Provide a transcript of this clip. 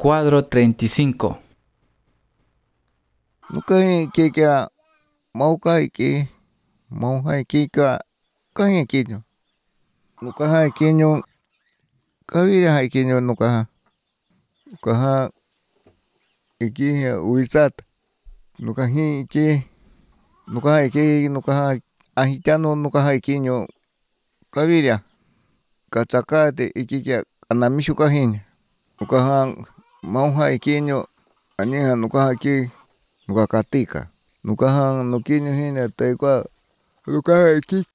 Cuadro 35. Nukai kika maukai ki mauhai kika kai kinyo. Nukai kinyo kawira hai kinyo nukaha. Nukaha iki uitat. Nukahi iki nukaha ahitano nukaha kinyo kawira. Kachakate ikikia anamishu kahin. Nukaha mauhai kinyo aniha nukaha ki nukakatika. Nukaha nukinyo hina taikwa nukaha iki